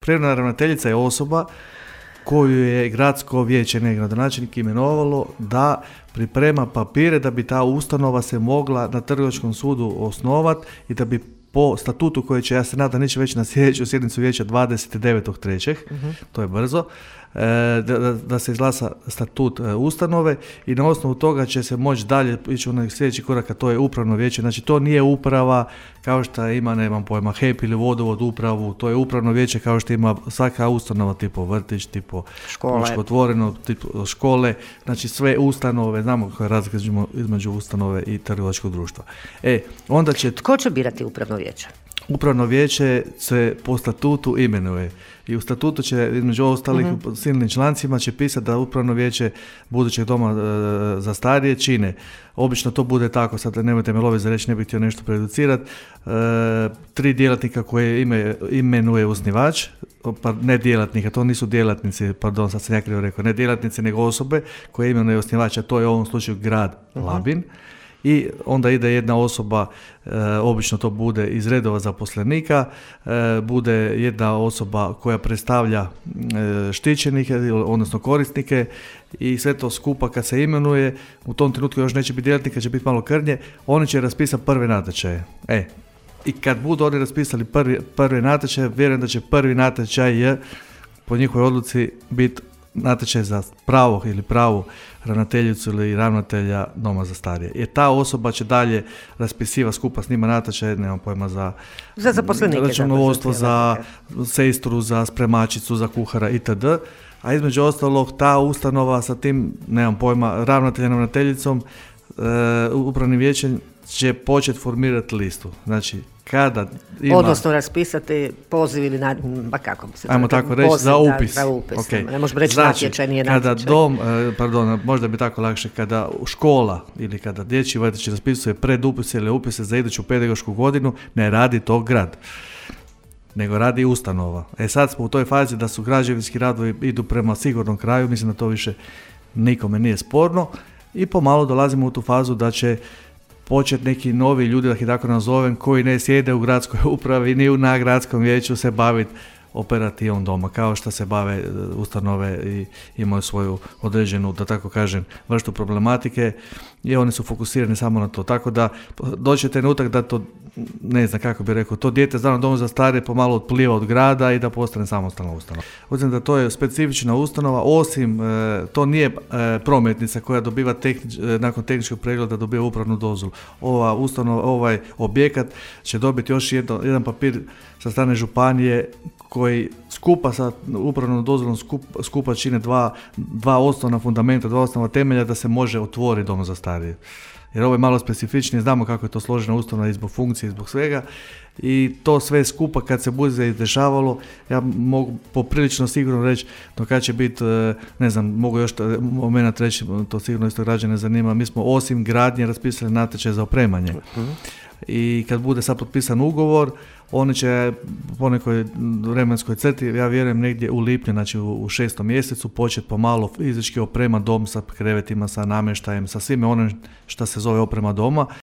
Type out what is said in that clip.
Privremena ravnateljica je osoba koju je gradsko vijeće, ne gradonačelnik, imenovalo da priprema papire da bi ta ustanova se mogla na trgovačkom sudu osnovati i da bi po statutu koji će, ja se nadam, neće već na sljedeću sjednicu vijeća 29.3., to je brzo, da se izglasa statut ustanove i na osnovu toga će se moći dalje ići u sljedeći korak, a to je upravno vijeće. Znači to nije uprava kao što ima, nemam pojma, HEP ili vodovod upravu, to je upravno vijeće kao što ima svaka ustanova, tipo vrtić, tipo otvoreno, tipo škole, znači sve ustanove, znamo koja je razlika između ustanove i trgovačkog društva. Onda će... Tko će birati upravno vijeće? Upravno vijeće se po statutu imenuje i u statutu će, između ostalih silnim člancima će pisati da upravno vijeće budućeg doma za starije čine. Obično to bude tako, sad nemojte me loviti za reći, ne bih htio nešto preducirati, 3 djelatnika koje imenuje osnivač, pa ne djelatnika, to nisu djelatnici, pardon, sad sam ja krivo rekao, ne djelatnici nego osobe koje imenuje osnivača, to je u ovom slučaju grad Labin. I onda ide jedna osoba, obično to bude iz redova zaposlenika, bude jedna osoba koja predstavlja štićenike, odnosno korisnike i sve to skupa kad se imenuje, u tom trenutku još neće biti djelatnika, će biti malo krnje, oni će raspisati prve natječaje. I kad budu oni raspisali prvi natječaj, vjerujem da će prvi natječaj po njihovoj odluci biti natječaj za pravog ili pravu ravnateljicu ili ravnatelja doma za starije. Jer ta osoba će dalje raspisivati skupa s njima natječaj, nemam pojma, za zaposlenike, računovodstvo, za sestru, za spremačicu, za kuhara itd. A između ostalog ta ustanova sa tim, nemam pojma, ravnateljem, ravnateljicom, upravnim vijećem će početi formirati listu. Znači, kada ima... Odnosno raspisati poziv ili kako bi se... Ajmo tako reći, za upis. Za upis. Okay. Ne možemo reći znači, natječaj, nije natječaj. Kada dom, možda bi tako lakše, kada škola ili kada dječji vrtić raspisuje predupise ili upise za iduću pedagošku godinu, ne radi to grad, nego radi ustanova. Sad smo u toj fazi da su građevinski radovi idu prema sigurnom kraju, mislim da to više nikome nije sporno i pomalo dolazimo u tu fazu da će početi neki novi ljudi, da ih tako nazovem, koji ne sjede u gradskoj upravi ni na gradskom vijeću se baviti operativom doma, kao što se bave ustanove i imaju svoju određenu, da tako kažem, vrstu problematike i oni su fokusirani samo na to. Tako da doći trenutak da to, ne znam kako bi rekao, to dijete zdravno domu za starije pomalo otpliva od grada i da postane samostalna ustanova. Uzim da to je specifična ustanova, osim to nije prometnica koja dobiva nakon tehničkog pregleda dobiva upravnu dozvolu. Ova ustanova, ovaj objekat će dobiti još jedan papir sa strane županije koji skupa sa upravnom dozvolom skupa čine dva osnovna fundamenta, 2 osnovna temelja da se može otvoriti dom za starije. Jer ovo je malo specifičnije, znamo kako je to složena ustanova i zbog funkcije i zbog svega i to sve skupa kad se bude izdešavalo, ja mogu poprilično sigurno reći do kad će biti, ne znam, mogu još moment reći, to sigurno isto građane zanima, mi smo osim gradnje raspisali natječaj za opremanje. I kad bude sad potpisan ugovor, oni će po nekoj vremenskoj crti, ja vjerujem negdje u lipnju, znači u 6. mjesecu, početi pomalo fizički oprema dom sa krevetima, sa namještajem, sa svime onim što se zove oprema doma.